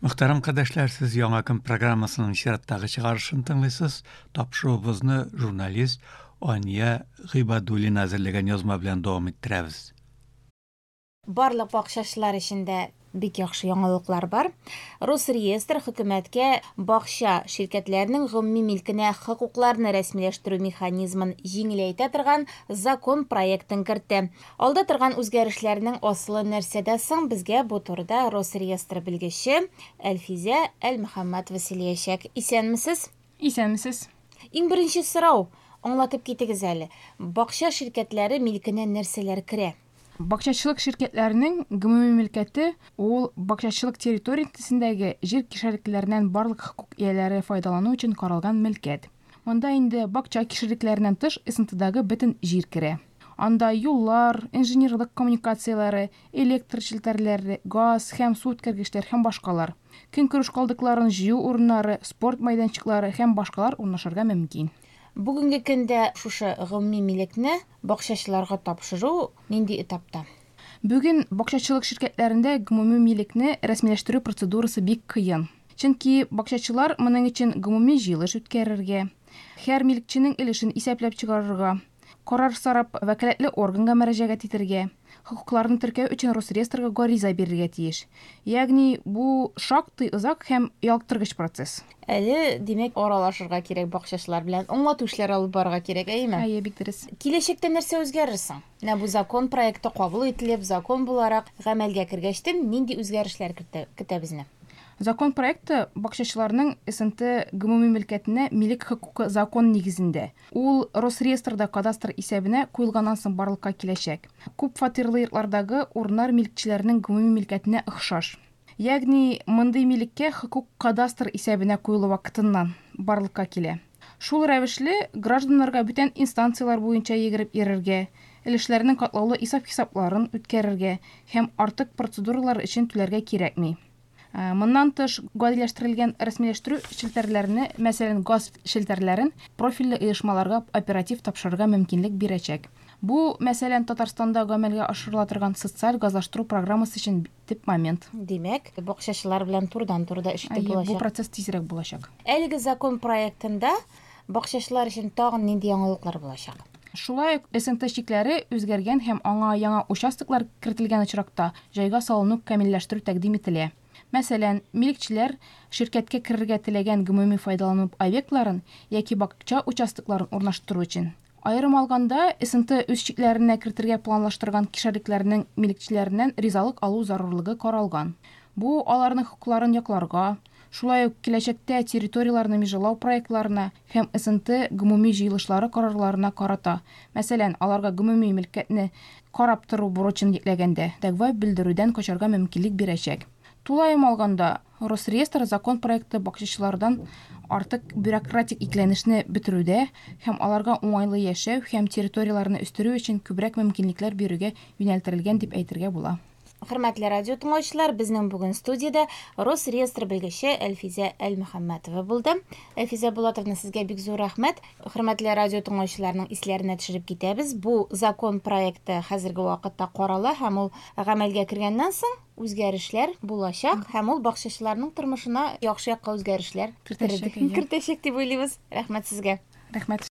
Мөхтәрәм кардәшләр, сез Яңа көн программасының чираттагы чыгарышын тыңлыйсыз. Тапшыруыбызны журналист Ания Гыйбадуллина әзерләгән язма белән дәвам иттерәбез. Барлык бакчачылар өчен дә бик яхшы яңалыклар бар. Росреестр хөкүмәткә бакча ширкәтләренең гомуми милкенә хокукларны рәсмиләштерү механизмын җиңеләйтә торган закон проектын кертте. Алда торган үзгәрешләрнең асылы нәрсәдә соң? Безгә бу турыда Росреестр белгече Әлфизә Әлмөхәммәтова сөйләячәк. Исәнмесез? Исәнмесез. Иң беренче сорау, аңлатып китегез әле. Бакча ширкәтләре милкенә нәрсәләр керә? Бакчачылык ширкәтләренең гомуми мөлкәте ул бакчачылык территориясендәге җир кишәрлекләреннән барлык хокук ияләре файдалану өчен каралган мөлкәт. Монда инде бакча кишәрлекләреннән тыш СНТдагы бөтен җир керә. Анда юллар, инженерлык коммуникацияләре, электр челтәрләре, газ һәм су үткәргечләр һәм башкалар. Көнкүреш калдыкларын җыю урыннары, спорт мәйданчыклары һәм башкалар урнашырга мөмкин. Бүгенге көндә шушы гомуми милекне бакчачыларга тапшыру нинди этапта? Бүген бакчачылык ширкәтләрендә гомуми милекне рәсмиләштерү процедурасы бик кыен. Чөнки бакчачылар моның өчен гомуми җыелыш үткәрергә, һәр милекченең өлешен исәпләп чыгарырга, карар сорап вәкаләтле органга мөрәҗәгать итәргә, хокукларны теркәү өчен Росреестрга гариза бирергә тиеш. Ягъни бу шактый озак һәм ялыктыргыч процесс. Әле, димәк, аралашырга кирәк бакчачылар белән, аңлату эшләре алып барырга кирәк, әйеме? Әйе, бик дөрес. Киләчәктә нәрсә үзгәрер соң? Менә бу закон проекты кабул ителеп, закон буларак гамәлгә кергәчтен нинди үзгәрешләр көтә безне? Закон проекты бакчачыларның СНТ гомуми мөлкәтенә милек хокукы закон нигезендә. Ул Росреестрда кадастр исәбенә куелганнан соң барлыкка киләчәк. Күп фатирлы йортлардагы урыннар милекчеләренең гомуми мөлкәтенә охшаш. Ягъни мондый милеккә хокук кадастр исәбенә куелу вакытыннан барлыкка килә. Шул рәвешле гражданнарга бүтән инстанцияләр буенча йөгереп йөрергә, өлешләрнең катлаулы исәп-хисапларын үткәрергә һәм артык процедуралар өчен түләргә кирәкми. Моннан тыш, гадиләштерелгән рәсмиләштерү челтәрләрне, мәсәлән, газ челтәрләрен профильле оешмаларга оператив тапшырырга мөмкинлек бирәчәк. Бу, мәсәлән, Татарстанда гамәлгә ашырыла торган социаль газлаштыру программасы өчен төп момент. Димәк, бакчачылар белән турыдан-туры да эш итеп Әйе, бу булачак. процесс тизрәк булачак. Әлеге закон проектында бакчачылар өчен тагын нинди яңалыклар булачак? Шулай ук СНТ чикләре үзгәргән һәм аңа яңа участоклар кертелгән очракта җайга салыну камилләштерү тәкъдим ителә. Мәсәлән, милекчеләр ширкәткә керергә теләгән гомуми файдалану объектларын яки бакча участокларын урнаштыру өчен. Аерым алганда, СНТ үз чикләренә кертергә планлаштырган кишәрлекләрнең милекчеләреннән ризалык алу зарурлыгы каралган. Бу аларның хокукларын якларга, шулай ук киләчәктә территорияләрне межалау проектларына һәм СНТ гомуми җыелышлары карарларына карата, мәсәлән, аларга гомуми мөлкәтне карап тору бурычын йөкләгәндә, дәгъва белдерүдән качарга мөмкинлек бирәчәк. Тулаем алганда, Росреестр закон проекты бакчачылардан артык бюрократик икеләнешне бетерүдә һәм аларга уңайлы яшәү һәм территорияләрне үстерү өчен күбрәк мөмкинлекләр бирүгә юнәлдерелгән дип әйтергә була. Хөрмәтле радио тыңлаучылар, безнең бүген студиядә Росреестр белгече Әлфизә Әлмөхәммәтова булды. Әлфизә Булатовна, сезгә бик зур рәхмәт. Хөрмәтле радио тыңлаучыларның исләренә төшереп китәбез. Бу закон проекты хәзерге вакытта карала һәм ул гамәлгә кергәннән соң үзгәрешләр булачак һәм ул бакчачыларның тормышына яхшы якка үзгәрешләр Кертәчәк, әйе. кертәчәк дип уйлыйбыз. Рәхмәт сезгә. Рәхмәт.